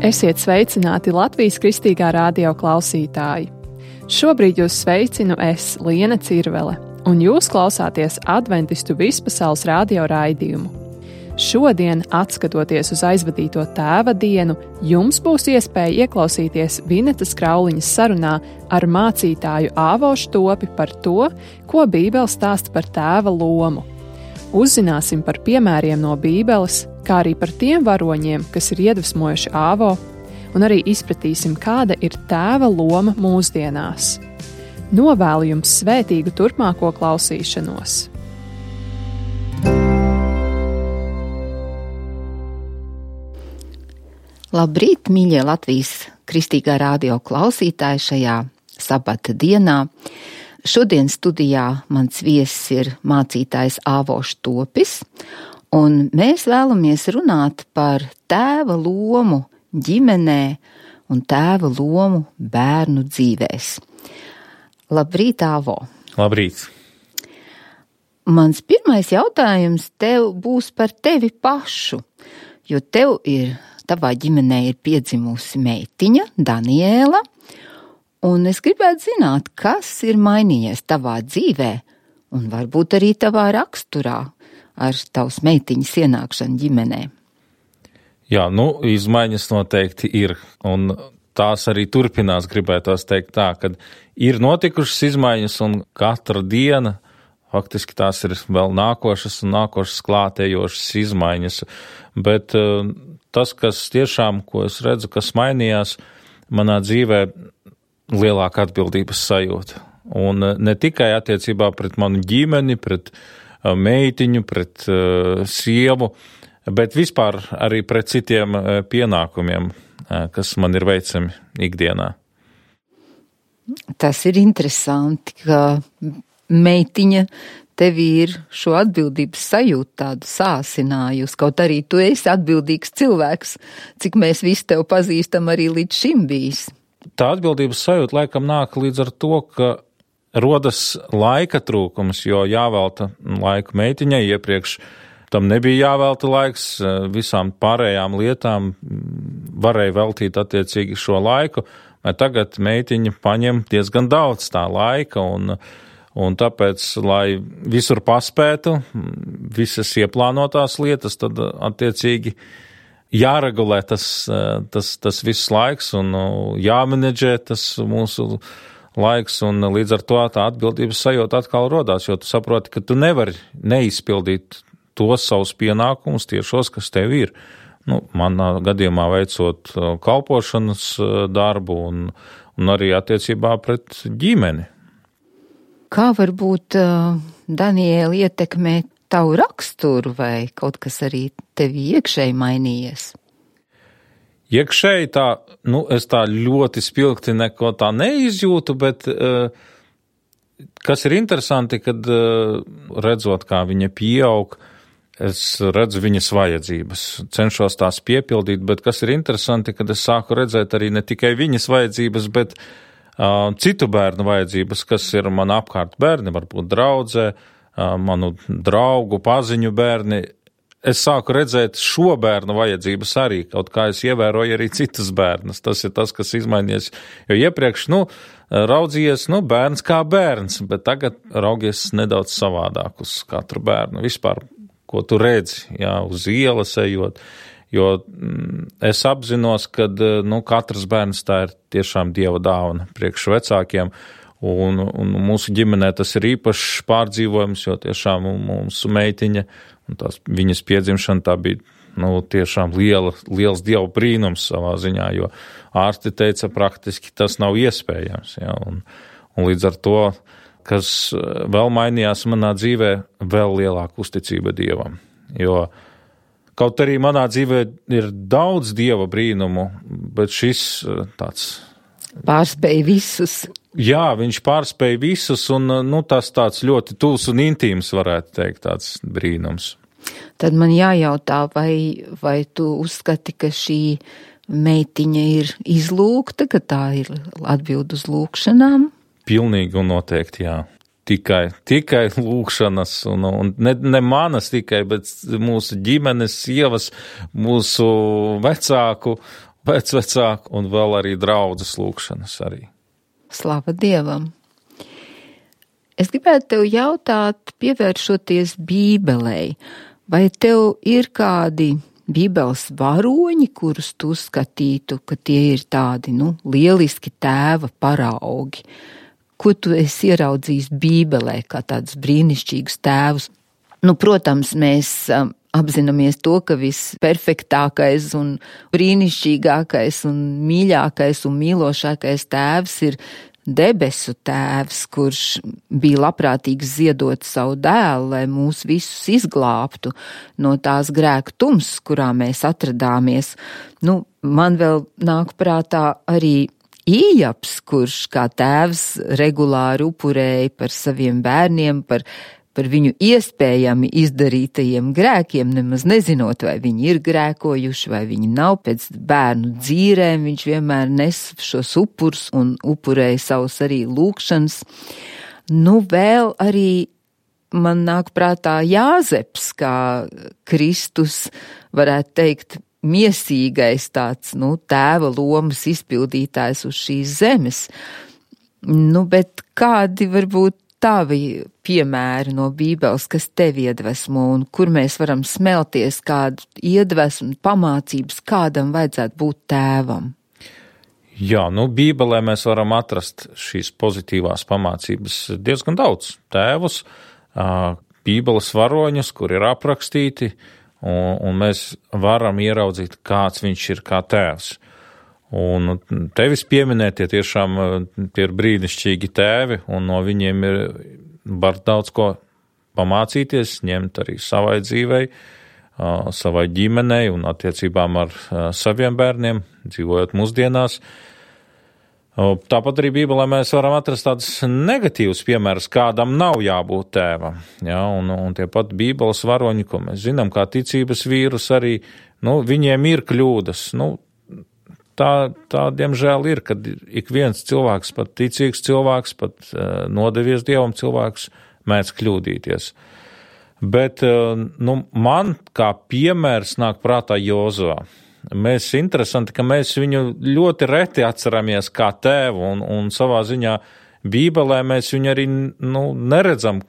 Esiet sveicināti Latvijas Kristīgā radio klausītāji. Šobrīd jūs sveicinu es, Liena Cirvele, un jūs klausāties Adventistu vispasaules radio raidījumu. Šodien, atskatoties uz aizvadīto tēva dienu, jums būs iespēja ieklausīties Vinetas Krauliņas sarunā ar mācītāju Āvo Štopi par to, ko Bībele stāsta par tēva lomu. Uzzināsim par piemēriem no Bībeles, kā arī par tiem varoņiem, kas ir iedvesmojuši Āvo, un arī izpratīsim, kāda ir tēva loma mūsdienās. Novēlu jums svētīgu turpmāko klausīšanos. Labrīt, mīļie Latvijas Kristīgā radio klausītāji šajā sabata dienā. Šodien studijā mans viesis ir mācītājs Āvo Štopis, un mēs vēlamies runāt par tēva lomu ģimenē un tēva lomu bērnu dzīvēs. Labrīt, Āvo! Labrīt! Mans pirmais jautājums tev būs par tevi pašu, jo tavā ģimenē ir piedzimusi meitiņa, Daniela, un es gribētu zināt, kas ir mainījies tavā dzīvē un varbūt arī tavā raksturā ar tavas meitiņas ienākšanu ģimenē. Jā, izmaiņas noteikti ir, un tās arī turpinās, gribētos teikt tā, ka ir notikušas izmaiņas, un katra diena, faktiski tās ir vēl nākošas un nākošas klātējošas izmaiņas, bet tas, kas tiešām, ko es redzu, kas mainījās manā dzīvē, lielāka atbildības sajūta. Un ne tikai attiecībā pret manu ģimeni, pret meitiņu, pret sievu, bet vispār arī pret citiem pienākumiem, kas man ir veicami ikdienā. Tas ir interesanti, ka meitiņa tevi ir šo atbildības sajūtu tādu sāsinājusi, kaut arī tu esi atbildīgs cilvēks, cik mēs visi tev pazīstam arī līdz šim bijis. Tā atbildības sajūta laikam nāk līdz ar to, ka rodas laika trūkums, jo jāvelta laiku meitiņai, iepriekš tam nebija jāvelta laiks, visām pārējām lietām varēja veltīt attiecīgi šo laiku, bet tagad meitiņa paņem diezgan daudz tā laika, un tāpēc, lai visur paspētu, visas ieplānotās lietas, tad attiecīgi jāregulē tas viss laiks un jāmenedžē tas mūsu laiks, un līdz ar to tā atbildības sajūta atkal rodās, jo tu saproti, ka tu nevari neizpildīt tos savus pienākumus tiešos, kas tev ir. Manā gadījumā veicot kalpošanas darbu un arī attiecībā pret ģimeni. Kā varbūt Daniela ietekmē tavu raksturu vai kaut kas arī tevi iekšēji mainījies? Iekšēji tā, es tā ļoti spilgti neko tā neizjūtu, bet kas ir interesanti, kad redzot, kā viņa pieaug, es redzu viņas vajadzības, cenšos tās piepildīt, bet kas ir interesanti, kad es sāku redzēt arī ne tikai viņas vajadzības, bet citu bērnu vajadzības, kas ir man apkārt bērni, varbūt draudzē, manu draugu, paziņu bērni. Es sāku redzēt šo bērnu vajadzības arī, kaut kā es ievēroju arī citus bērnus. Tas ir tas, kas izmainījies, jo iepriekš, raudzījies, bērns kā bērns, bet tagad raugies nedaudz savādāk uz katru bērnu. Vispār, ko tu redzi, uz ielas ejot, jo es apzinos, ka, katrs bērns tā ir tiešām Dieva dāvana priekš vecākiem, un mūsu ģimenē tas ir īpašs pārdzīvojums, jo tiešām mūsu meitiņa un tās viņas piedzimšana tā bija tiešām liels Dieva brīnums savā ziņā, jo ārsti teica praktiski tas nav iespējams. Ja, un līdz ar to, kas vēl mainījās manā dzīvē, vēl lielāka uzticība Dievam. Jo kaut arī manā dzīvē ir daudz Dieva brīnumu, bet šis tāds pārspēja visus. Jā, viņš pārspēja visus, un tas tāds ļoti tuvs un intīms, varētu teikt, tāds brīnums. Tad man jājautā, vai tu uzskati, ka šī meitiņa ir izlūgta, ka tā ir atbild uz lūkšanām? Pilnīgi un noteikti, jā. Tikai lūkšanas, un ne manas tikai, bet mūsu ģimenes, sievas, mūsu vecāku pēcvecāku un vēl arī draudzes lūkšanas arī. Slava Dievam! Es gribētu tev jautāt, pievēršoties Bībelei, vai tev ir kādi Bībeles varoņi, kurus tu skatītu, ka tie ir tādi, lieliski tēva paraugi? Ko tu esi ieraudzījis Bībelē kā tādus brīnišķīgus tēvus? Protams, mēs apzināmies to, ka visperfektākais un brīnišķīgākais un mīļākais un mīlošākais tēvs ir debesu tēvs, kurš bija labprātīgs ziedot savu dēlu, lai mūs visus izglābtu no tās grēku tums, kurā mēs atradāmies. Man vēl nāk prātā arī Ījaps, kurš kā tēvs regulāri upurēja par saviem bērniem, par viņu iespējami izdarītajiem grēkiem, nemaz nezinot, vai viņi ir grēkojuši, vai viņi nav. Pēc bērnu dzīrēm viņš vienmēr nes šos upurus un upurēja savus arī lūkšanas. Vēl arī man nāk prātā Jāzeps, kā Kristus, varētu teikt, miesīgais tāds, tēva lomas izpildītājs uz šīs zemes. Bet kādi varbūt tavi piemēri no Bībeles, kas tevi iedvesmo un kur mēs varam smelties, kādu iedvesmu, pamācības, kādam vajadzētu būt tēvam? Jā, Bībelē mēs varam atrast šīs pozitīvās pamācības diezgan daudz. Tēvus, Bībeles varoņus, kur ir aprakstīti, un mēs varam ieraudzīt, kāds viņš ir kā tēvs. Un tevis pieminētie tiešām tie ir brīnišķīgi tēvi, un no viņiem var daudz ko pamācīties, ņemt arī savai dzīvei, savai ģimenei un attiecībām ar saviem bērniem, dzīvojot mūsdienās. Tāpat arī Bībelē mēs varam atrast tādus negatīvus piemērus, kādam nav jābūt tēvam. Ja, un tie pat Bībeles varoņi, ko mēs zinām, kā ticības vīrus arī, viņiem ir kļūdas. Tā diemžēl ir, kad ik viens cilvēks, pat ticīgs cilvēks, pat nodevies Dievam cilvēks, mēdz kļūdīties. Bet man kā piemērs nāk prātā Jozua. Interesanti, ka mēs viņu ļoti reti atceramies kā tēvu, un savā ziņā Bībelē mēs viņu arī neredzam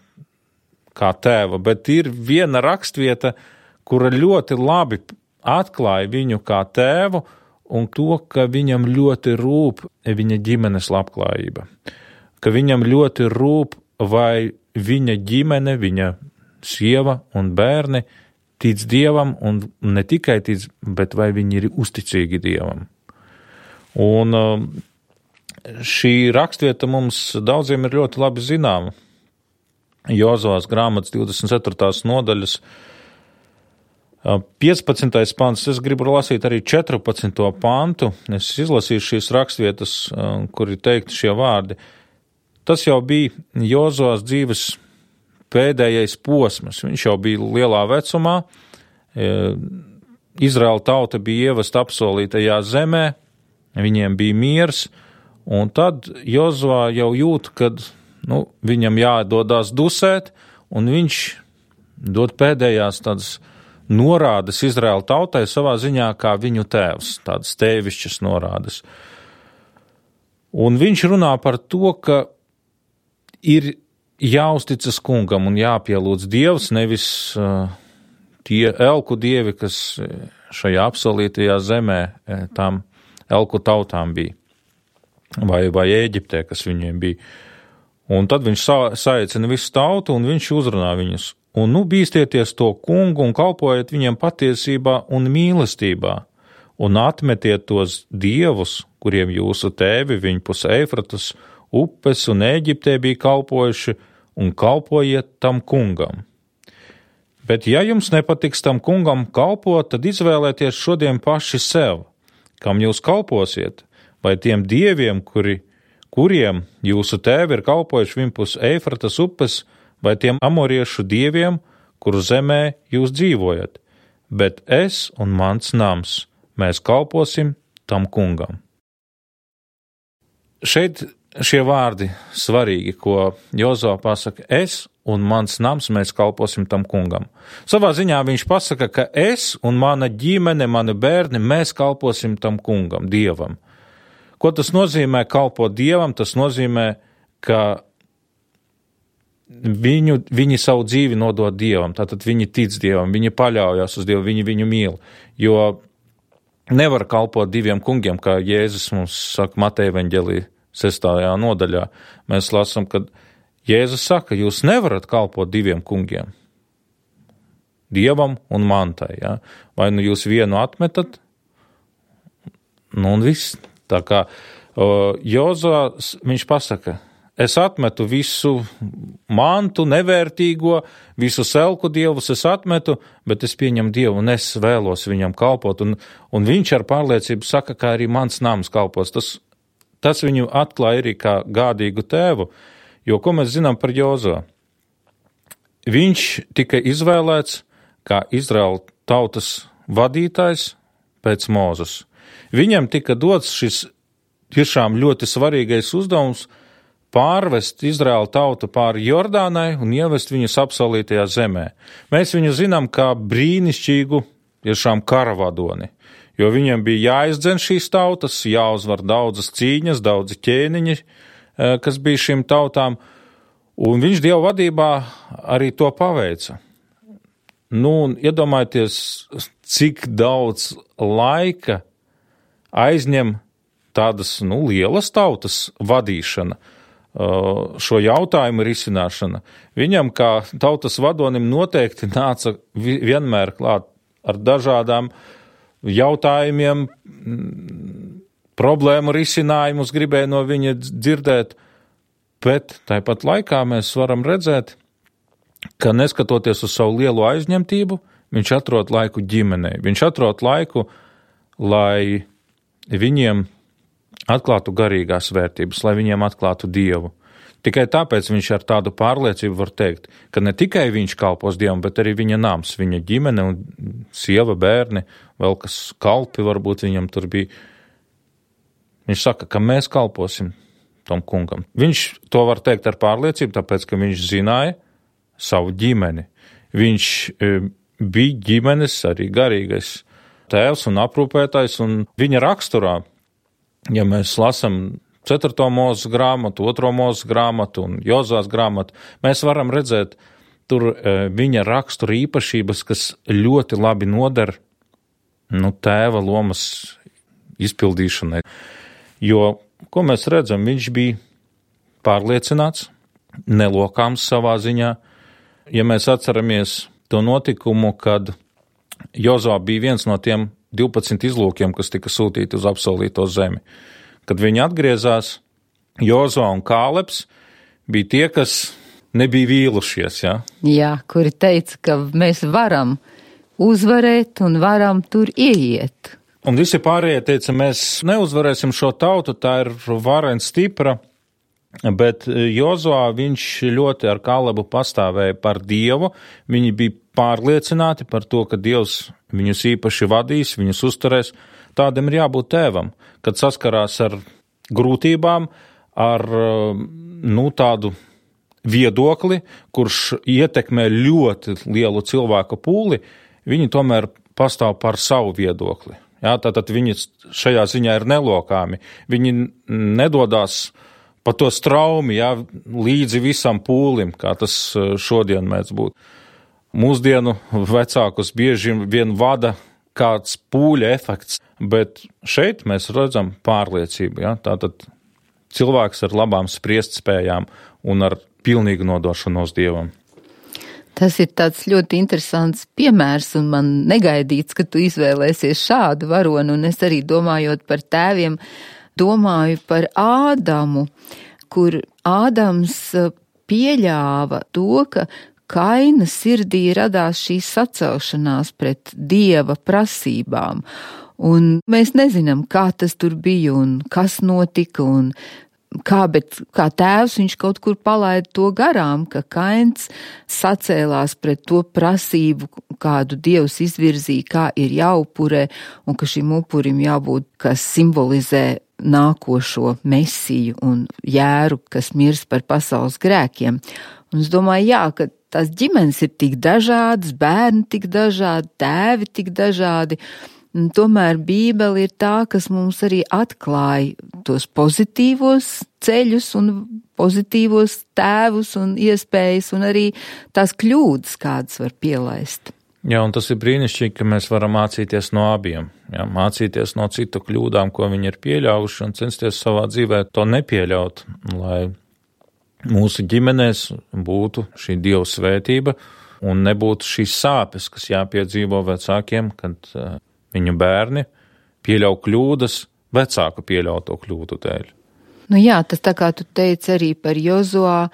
kā tēva, bet ir viena rakstvieta, kura ļoti labi atklāja viņu kā tēvu, un to, ka viņam ļoti rūp viņa ģimenes labklājība. Ka viņam ļoti rūp, vai viņa ģimene, viņa sieva un bērni tic Dievam, un ne tikai tic, bet vai viņi ir uzticīgi Dievam. Un šī rakstvieta mums daudziem ir ļoti labi zināma. Jozuvas grāmatas 24. nodaļas 15. pants, es gribu lasīt arī 14. pantu, es izlasīšu šīs rakstvietas, kur ir teikti šie vārdi. Tas jau bija Jozuvas dzīves pēdējais posms, viņš jau bija lielā vecumā, Izraēla tauta bija ievesta apsolītajā zemē, viņiem bija miers, un tad Jozua jau jūt, kad viņam jādodās dusēt, un viņš dod pēdējās tādas norādes Izraēla tautai savā ziņā kā viņu tēvs, tādas tēvišķas norādes. Un viņš runā par to, ka ir jāuzticas kungam un jāpielūdz Dievs, nevis tie elku dievi, kas šajā apsolītajā zemē tām elku tautām bija, vai Ēģiptē, kas viņiem bija. Un tad viņš saicina visu tautu, un viņš uzrunā viņus. Un bīstieties to kungu un kalpojiet viņiem patiesībā un mīlestībā, un atmetiet tos dievus, kuriem jūsu tēvi viņpus Eifratas upes un Ēģiptē bija kalpojuši, un kalpojiet tam kungam. Bet ja jums nepatiks tam kungam kalpot, tad izvēlēties šodien paši sev, kam jūs kalposiet, vai tiem dieviem, kuriem jūsu tēvi ir kalpojuši viņpus Eifratas upes, vai tiem amoriešu dieviem, kuru zemē jūs dzīvojat. Bet es un mans nams, mēs kalposim tam kungam. Šeit šie vārdi svarīgi, ko Jozua pasaka, es un mans nams, mēs kalposim tam kungam. Savā ziņā viņš pasaka, ka es un mana ģimene, mani bērni, mēs kalposim tam kungam, Dievam. Ko tas nozīmē kalpot Dievam? Tas nozīmē, ka viņi savu dzīvi nodod Dievam, tātad viņi tic Dievam, viņi paļaujas uz Dievu, viņi viņu mīl, jo nevar kalpot diviem kungiem, kā Jēzus mums saka Mateja evaņģēlija 6. nodaļā. Mēs lasām, ka Jēzus saka, jūs nevarat kalpot diviem kungiem, Dievam un mantai. Ja? Vai nu jūs vienu atmetat, un viss. Tā kā Jozua, viņš pasaka, es atmetu visu mantu, nevērtīgo, visu selku dievus es atmetu, bet es pieņemu Dievu un es vēlos viņam kalpot. Un viņš ar pārliecību saka, ka arī mans nams kalpos. Tas viņu atklāja arī kā gādīgu tēvu, jo ko mēs zinām par Jozua? Viņš tika izvēlēts kā Izraēla tautas vadītājs pēc Mūzes. Viņam tika dots šis tiešām ļoti svarīgais uzdevums pārvest Izraēla tautu pāri Jordānai un ievest viņus apsolītajā zemē. Mēs viņu zinām kā brīnišķīgu, tiešām karavadoni, jo viņam bija jāizdzen šīs tautas, jāuzvar daudzas cīņas, daudzi ķēniņi, kas bija šīm tautām, un viņš Dieva vadībā arī to paveica. Un iedomājieties, cik daudz laika aizņem tādas, lielas tautas vadīšana, šo jautājumu risināšana. Viņam, kā tautas vadonim, noteikti nāca vienmēr klāt ar dažādām jautājumiem, problēmu risinājumus gribēja no viņa dzirdēt, bet tāpat laikā mēs varam redzēt, ka neskatoties uz savu lielo aizņemtību, viņš atrod laiku ģimenei. Viņš atrod laiku, lai viņiem atklātu garīgās vērtības, lai viņiem atklātu Dievu. Tikai tāpēc viņš ar tādu pārliecību var teikt, ka ne tikai viņš kalpos Dievam, bet arī viņa nams, viņa ģimene un sieva, bērni, vēl kas kalpi varbūt viņam tur bija. Viņš saka, ka mēs kalposim tam kungam. Viņš to var teikt ar pārliecību, tāpēc, ka viņš zināja savu ģimeni. Viņš bija ģimenes arī garīgais tēvs un aprūpētājs, un viņa raksturā, ja mēs lasām 4. Mūzes grāmatu, 2. Mūzes grāmatu un Jozās grāmatu, mēs varam redzēt tur viņa rakstura īpašības, kas ļoti labi noder tēva lomas izpildīšanai. Jo, ko mēs redzam, viņš bija pārliecināts, nelokāms savā ziņā. Ja mēs atceramies to notikumu, kad Jozua bija viens no tiem 12 izlūkiem, kas tika sūtīti uz apsolīto zemi. Kad viņi atgriezās, Jozua un Kālebs bija tie, kas nebija vīlušies. Ja? Jā, kuri teica, ka mēs varam uzvarēt un varam tur ieiet. Un visi pārējie teica, mēs neuzvarēsim šo tautu, tā ir varena stipra, bet Jozua, viņš ļoti ar Kālebu pastāvēja par Dievu, viņi bija pārliecināti par to, ka Dievs viņus īpaši vadīs, viņus uzturēs. Tādam ir jābūt tēvam, kad saskarās ar grūtībām, ar tādu viedokli, kurš ietekmē ļoti lielu cilvēku pūli, viņi tomēr pastāv par savu viedokli. Jā, tātad viņi šajā ziņā ir nelokāmi. Viņi nedodās pa to straumi, jā, līdzi visam pūlim, kā tas šodien mēdz būt. Mūsdienu vecākus bieži vien vada kāds pūļa efekts, bet šeit mēs redzam pārliecību. Ja? Tātad cilvēks ar labām spriestspējām un ar pilnīgu nodošanos Dievam. Tas ir tāds ļoti interesants piemērs, un man negaidīts, ka tu izvēlēsies šādu varonu, un es arī domājot par tēviem, domāju par Ādamu, kur Ādams pieļāva to, ka Kaina sirdī radās šī sacelšanās pret Dieva prasībām, un mēs nezinām, kā tas tur bija un kas notika un bet kā tēvs viņš kaut kur palaida to garām, ka Kains sacēlās pret to prasību, kādu Dievs izvirzīja, kā ir jāupurē, un ka šim upurim jābūt, kas simbolizē nākošo mesiju un jēru, kas mirs par pasaules grēkiem. Un es domāju, jā, ka tās ģimenes ir tik dažādas, bērni tik dažādi, tēvi tik dažādi, un tomēr Bībele ir tā, kas mums arī atklāja tos pozitīvos ceļus un pozitīvos tēvus un iespējas un arī tās kļūdas, kādas var pielaist. Jā, un tas ir brīnišķīgi, ka mēs varam mācīties no abiem. Jā, mācīties no citu kļūdām, ko viņi ir pieļāvuši, un censties savā dzīvē to nepieļaut, lai mūsu ģimenēs būtu šī Dieva svētība un nebūtu šīs sāpes, kas jāpiedzīvo vecākiem, kad viņu bērni pieļauj kļūdas vecāku pieļauto kļūdu dēļ. Nu jā, tas tā kā tu teici arī par Jozuā,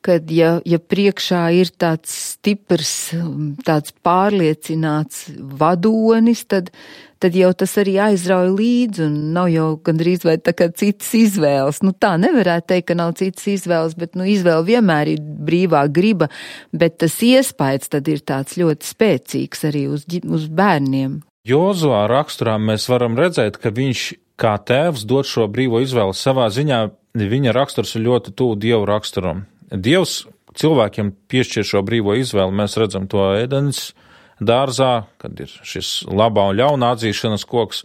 kad ja priekšā ir tāds stiprs, tāds pārliecināts vadonis, tad jau tas arī aizrauj līdzi un nav jau gandrīz vai tā kā citas izvēles. Nu tā nevarētu teikt, ka nav citas izvēles, bet izvēle vienmēr ir brīvā griba, bet tas iespējas tad ir tāds ļoti spēcīgs arī uz bērniem. Jozuā raksturā mēs varam redzēt, ka viņš kā tēvs dod šo brīvo izvēli. Savā ziņā viņa raksturs ir ļoti tuvu Dievu raksturam. Dievs cilvēkiem piešķir šo brīvo izvēli. Mēs redzam to Ēdenes dārzā, kad ir šis labā un ļauna atzīšanas koks,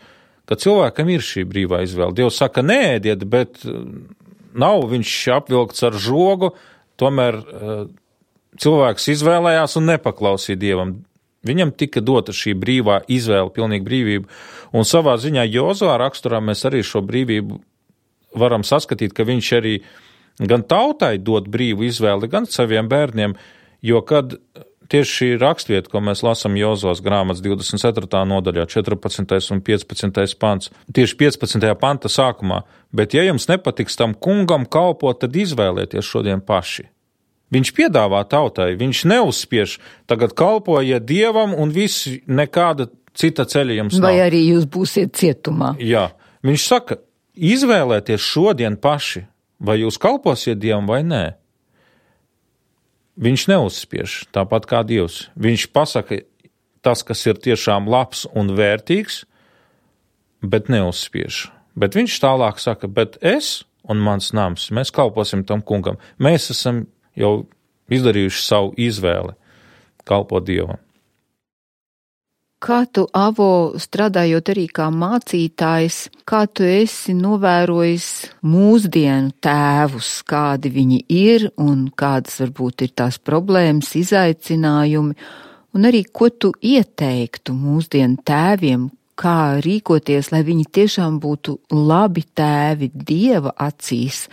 ka cilvēkam ir šī brīvā izvēle. Dievs saka, neēdiet, bet nav viņš apvilkts ar žogu, tomēr cilvēks izvēlējās un nepaklausīja Dievam. Viņam tika dota šī brīvā izvēle, pilnīga brīvība, un savā ziņā Jozuā raksturā mēs arī šo brīvību varam saskatīt, ka viņš arī gan tautai dod brīvu izvēli, gan saviem bērniem, jo kad tieši šī rakstvieta, ko mēs lasām Jozuās grāmatas 24. nodaļā, 14. un 15. pants, tieši 15. panta sākumā, bet ja jums nepatiks tam kungam kalpot, tad izvēlieties šodien paši. Viņš piedāvā tautai, viņš neuzspiež, tagad kalpojiet Dievam un visi nekāda cita ceļa jums nav. Vai arī jūs būsiet cietumā. Jā, viņš saka, izvēlēties šodien paši, vai jūs kalposiet Dievam vai nē. Viņš neuzspiež, tāpat kā Dievs. Viņš pasaka tas, kas ir tiešām labs un vērtīgs, bet neuzspiež. Bet viņš tālāk saka, bet es un mans nams, mēs kalposim tam kungam. Mēs esam jau izdarījuši savu izvēli kalpot Dievam. Kā tu, Avo, strādājot arī kā mācītājs, kā tu esi novērojis mūsdienu tēvus, kādi viņi ir un kādas varbūt ir tās problēmas, izaicinājumi, un arī ko tu ieteiktu mūsdienu tēviem, kā rīkoties, lai viņi tiešām būtu labi tēvi Dieva acīs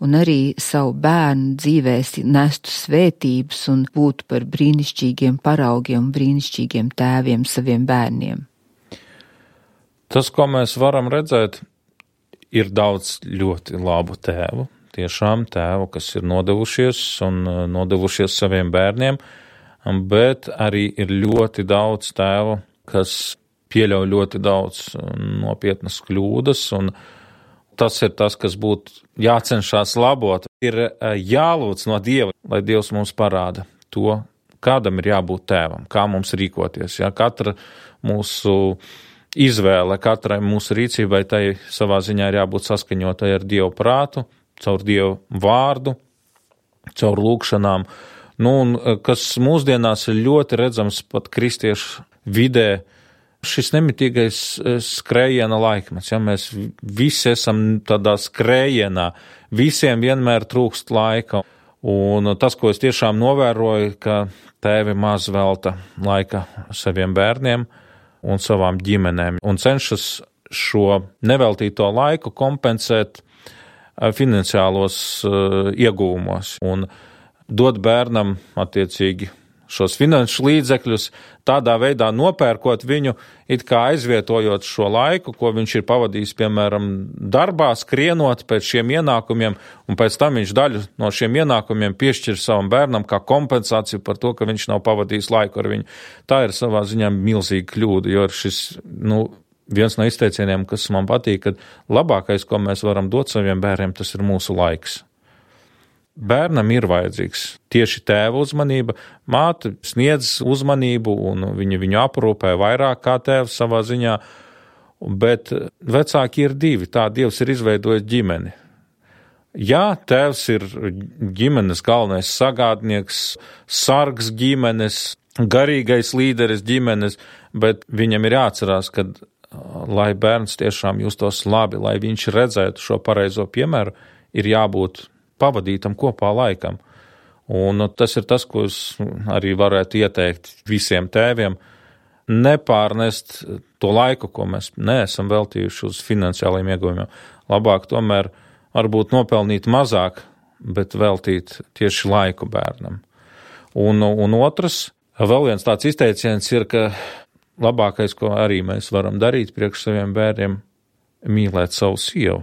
un arī savu bērnu dzīvēs nestu svētības un būtu par brīnišķīgiem paraugiem un brīnišķīgiem tēviem saviem bērniem. Tas, ko mēs varam redzēt, ir daudz ļoti labu tēvu, tiešām tēvu, kas ir nodevušies saviem bērniem, bet arī ir ļoti daudz tēvu, kas pieļauj ļoti daudz nopietnas kļūdas, un tas ir tas, kas būtu jācenšas labot. Ir jālūdz no Dieva, lai Dievs mums parāda to, kādam ir jābūt tēvam, kā mums rīkoties. Ja? Katra mūsu izvēle, katrai mūsu rīcībai, tai savā ziņā ir jābūt saskaņotai ar Dievu prātu, caur Dievu vārdu, caur lūkšanām. Un kas mūsdienās ir ļoti redzams pat kristiešu vidē, šis nemitīgais skrējiena laikmets, ja mēs visi esam tādā skrējienā, visiem vienmēr trūkst laika, un tas, ko es tiešām novēroju, ka tēvi maz velta laika saviem bērniem un savām ģimenēm, un cenšas šo neveltīto laiku kompensēt finansiālos ieguvumos, un dot bērnam attiecīgi šos finanšu līdzekļus, tādā veidā nopērkot viņu, it kā aizvietojot šo laiku, ko viņš ir pavadījis, piemēram, darbā, skrienot pēc šiem ienākumiem, un pēc tam viņš daļu no šiem ienākumiem piešķir savam bērnam kā kompensāciju par to, ka viņš nav pavadījis laiku ar viņu. Tā ir savā ziņā milzīga kļūda, jo ir šis, viens no izteicieniem, kas man patīk, ka labākais, ko mēs varam dot saviem bērniem, tas ir mūsu laiks. Bērnam ir vajadzīgs tieši tēva uzmanība, māte sniedz uzmanību un viņu aprūpē vairāk kā tēvs savā ziņā, bet vecāki ir divi, tā Dievs ir izveidojis ģimeni. Jā, tēvs ir ģimenes galvenais sagādnieks, sargs ģimenes, garīgais līderis ģimenes, bet viņam ir jāatcerās, ka, lai bērns tiešām justos labi, lai viņš redzētu šo pareizo piemēru, ir jābūt pavadītam kopā laikam. Un tas ir tas, ko es arī varētu ieteikt visiem tēviem, nepārnest to laiku, ko mēs neesam veltījuši uz finansiālajiem ieguvumiem. Labāk tomēr varbūt nopelnīt mazāk, bet veltīt tieši laiku bērnam. Un otrs, vēl viens tāds izteiciens ir, ka labākais, ko arī mēs varam darīt priekš saviem bērniem, mīlēt savu sievu.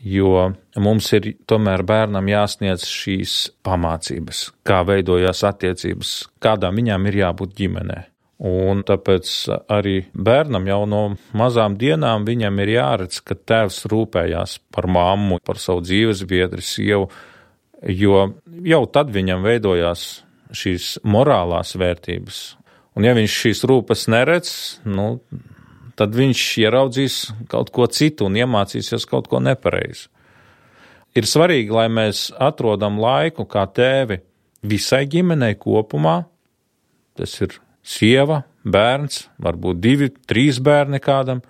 Jo mums ir tomēr bērnam jāsniedz šīs pamācības, kā veidojās attiecības, kādām viņām ir jābūt ģimenē. Un tāpēc arī bērnam jau no mazām dienām viņam ir jāredz, ka tēvs rūpējās par mammu, par savu dzīvesbiedri, sievu, jo jau tad viņam veidojās šīs morālās vērtības. Un ja viņš šīs rūpes neredz, tad viņš ieraudzīs kaut ko citu un iemācīsies kaut ko nepareizi. Ir svarīgi, lai mēs atrodam laiku kā tēvi visai ģimenei kopumā. Tas ir sieva, bērns, varbūt 2, 3 bērni kādam.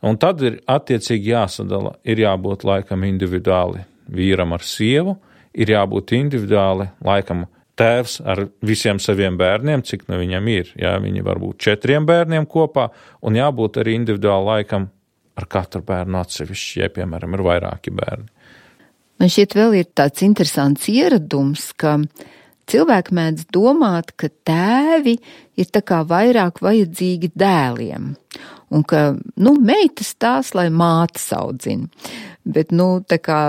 Un tad ir attiecīgi jāsadala, ir jābūt laikam individuāli vīram ar sievu, ir jābūt individuāli laikam tēvs ar visiem saviem bērniem, cik viņam ir. Jā, viņi var būt 4 bērniem kopā, un jābūt arī individuāli laikam ar katru bērnu atsevišķi, ja, piemēram, ir vairāki bērni. Man šķiet vēl ir tāds interesants ieradums, ka cilvēki mēdz domāt, ka tēvi ir tā kā vairāk vajadzīgi dēliem, un ka, meitas tās, lai mātes audzina. Bet, tā kā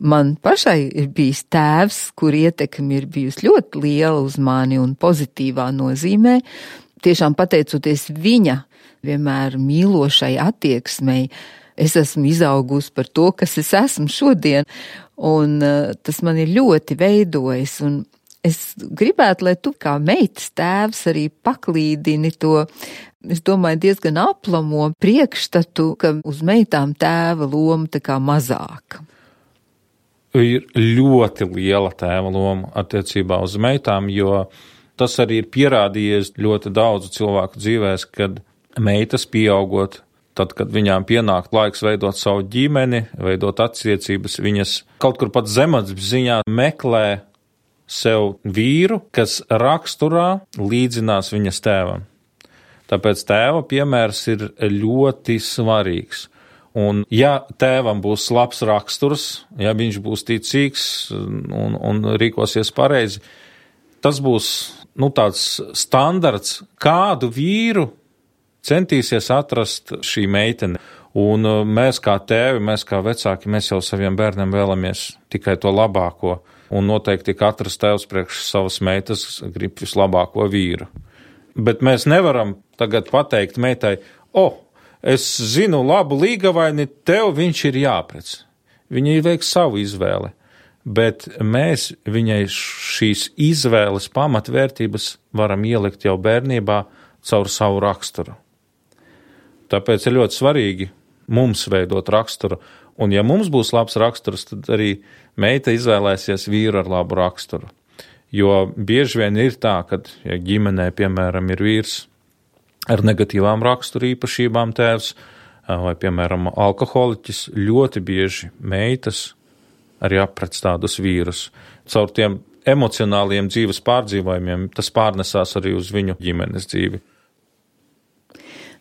man pašai ir bijis tēvs, kur ietekme ir bijusi ļoti liela uz mani un pozitīvā nozīmē. Tiešām pateicoties viņa vienmēr mīlošai attieksmei, es esmu izaugusi par to, kas es esmu šodien, un tas man ir ļoti veidojis. Un es gribētu, lai tu kā meitas tēvs arī paklīdini to, es domāju, diezgan aplamo priekšstatu, ka uz meitām tēva loma tā kā mazāka. Ir ļoti liela tēva loma attiecībā uz meitām, jo tas arī ir pierādījies ļoti daudzu cilvēku dzīvēs, kad meitas pieaugot, tad, kad viņām pienāk laiks veidot savu ģimeni, veidot attiecības, viņas kaut kur pat zemapziņā meklē sev vīru, kas raksturā līdzinās viņas tēvam. Tāpēc tēva piemērs ir ļoti svarīgs. Un ja tēvam būs labs raksturs, ja viņš būs ticīgs un rīkosies pareizi, tas būs tāds standarts, kādu vīru centīsies atrast šī meitene. Un mēs kā tēvi, mēs kā vecāki, mēs jau saviem bērniem vēlamies tikai to labāko. Un noteikti katrs tēvs priekš savas meitas grib vislabāko vīru. Bet mēs nevaram tagad pateikt meitai, es zinu labu līgavaini, tev viņš ir jāprec. Viņa veiks savu izvēli, bet mēs viņai šīs izvēles pamatvērtības varam ielikt jau bērnībā caur savu raksturu. Tāpēc ir ļoti svarīgi mums veidot raksturu, un ja mums būs labs raksturs, tad arī meita izvēlēsies vīru ar labu raksturu. Jo bieži vien ir tā, ka ja ģimenē, piemēram, ir vīrs ar negatīvām raksturu īpašībām tēvs, vai, piemēram, alkoholiķis, ļoti bieži meitas arī aprec tādus vīrus. Caur tiem emocionāliem dzīves pārdzīvojumiem tas pārnesās arī uz viņu ģimenes dzīvi.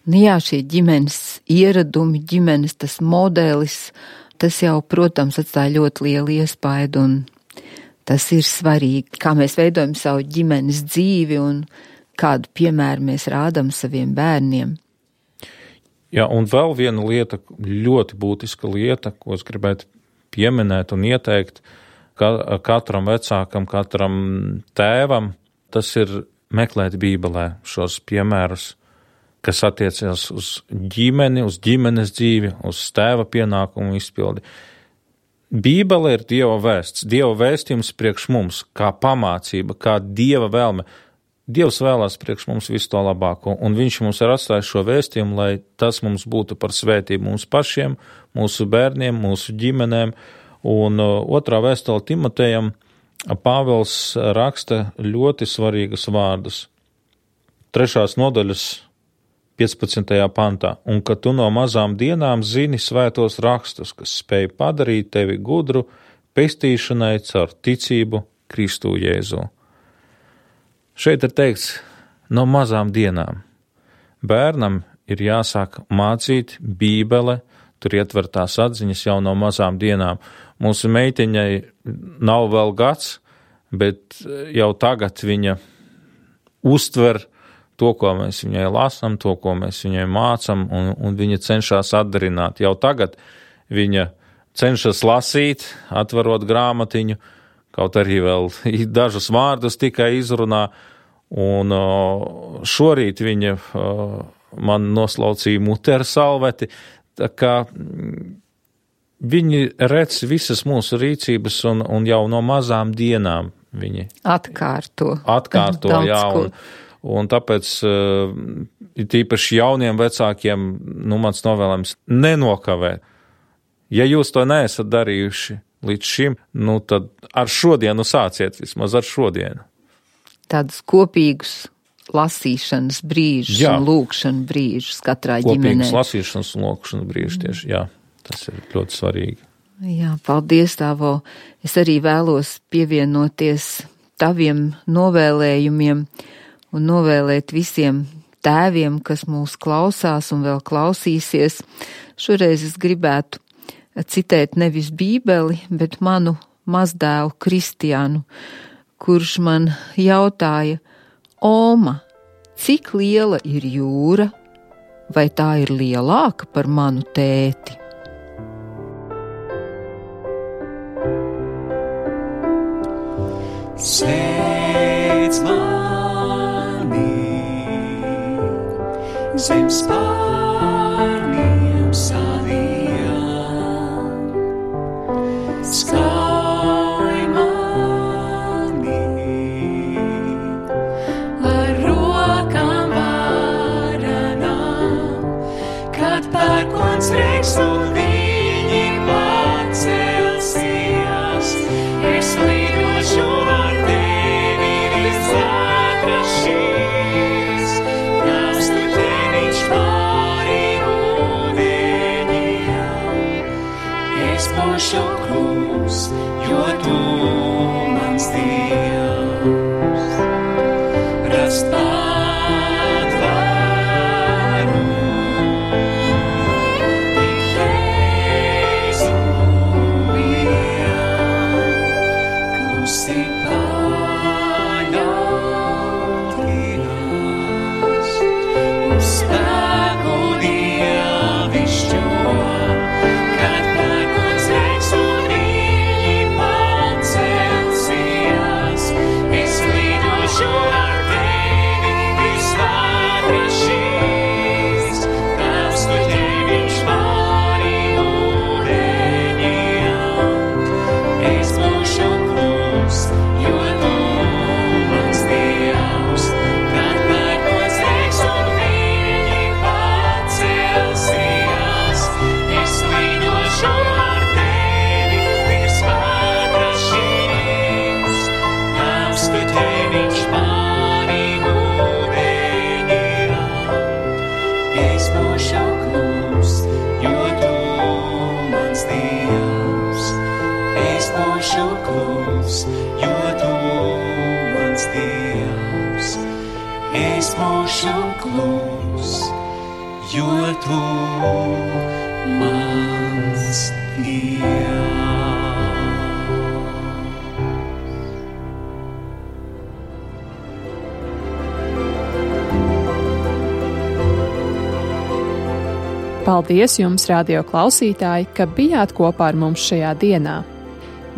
Jā, šie ģimenes ieradumi, ģimenes tas modelis, tas jau, protams, atstāja ļoti lielu iespaidu, un tas ir svarīgi, kā mēs veidojam savu ģimenes dzīvi un kādu piemēru mēs rādam saviem bērniem. Jā, un vēl viena lieta, ļoti būtiska lieta, ko es gribētu pieminēt un ieteikt katram vecākam, katram tēvam, tas ir meklēt Bībelē šos piemērus, kas attiecas uz ģimeni, uz ģimenes dzīvi, uz tēva pienākumu izpildi. Bībele ir Dieva vēsts, Dieva vēstījums priekš mums, kā pamācība, kā Dieva vēlme. Dievs vēlās priekš mums visu to labāko, un viņš mums ir atstājis šo vēstījumu, lai tas mums būtu par svētību mums pašiem, mūsu bērniem, mūsu ģimenēm. Un 2. vēstule Timotejam Pāvils raksta ļoti svarīgas vārdus. 3. nodaļas 15. pantā. Un ka tu no mazām dienām zini svētos rakstus, kas spēj padarīt tevi gudru pestīšanai caur ticību Kristu Jēzu. Šeit ir teikts no mazām dienām. Bērnam ir jāsāk mācīt Bībele, tur ietver tās atziņas jau no mazām dienām. Mūsu meitiņai nav vēl gads, bet jau tagad viņa uztver to, ko mēs viņai lasām, to, ko mēs viņai mācam, un viņa cenšas atdarināt. Jau tagad viņa cenšas lasīt, atverot grāmatiņu, kaut arī vēl dažus vārdus tikai izrunā, un šorīt viņa man noslaucīja mutē ar salveti, tā kā viņi redz visas mūsu rīcības, un jau no mazām dienām viņi atkārto jā, un tāpēc tīpaši jauniem vecākiem, mans novēlējums nenokavēt. Ja jūs to neesat darījuši līdz šim, tad ar šodienu sāciet, vismaz ar šodienu. Tādus kopīgus lasīšanas brīžus un lūkšanu brīžus katrā ģimenē. Kopīgus lasīšanas un lūkšanas brīžus tieši, jā, tas ir ļoti svarīgi. Jā, paldies, Tāvo. Es arī vēlos pievienoties taviem novēlējumiem un novēlēt visiem tēviem, kas mūs klausās un vēl klausīsies. Šoreiz es gribētu citēt nevis Bībeli, bet manu mazdēlu Kristiānu, kurš man jautāja: Oma, cik liela ir jūra, vai tā ir lielāka par manu tēti? Slēdz mani zem spārniem saviem, skauj mani ar rokām varanām, kad pērkons reiks un viņi pacelsies, es lidošu ar tevi līdz atrašīs, tās tu teviņš pāri ūdeņiem, es būšu klūs, jo tu mans Dievs, rast patvaru, tik Jēzu vien, klusi paļauties, uz spēku dievišķo, kad pērkons reiks un viņi pacelsies, es lidošu ar tevi līdz atrašīs, tās tu teviņš pāri ūdeņiem, es būšu klūs, jo tu mans Dievs, kad pērkons reiks un viņi pacelsies, es lidošu ar tevi līdz atrašīs, tās tu teviņš pāri ūdeņiem, es būšu klūs, jo tu mans Dievs, es būšu klūs, jo tu mans Dievs, es būšu klūs, jo tu mans Dievs. Paldies jums, radio klausītāji, ka bijāt kopā ar mums šajā dienā.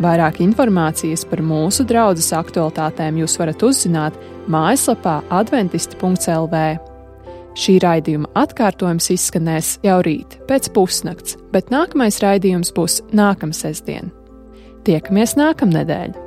Vairāk informācijas par mūsu draudzes aktualitātēm jūs varat uzzināt mājaslapā adventisti.lv. Šī raidījuma atkārtojums izskanēs jau rīt, pēc pusnakts, bet nākamais raidījums būs nākamsestdien. Tiekamies nākamnedēļ!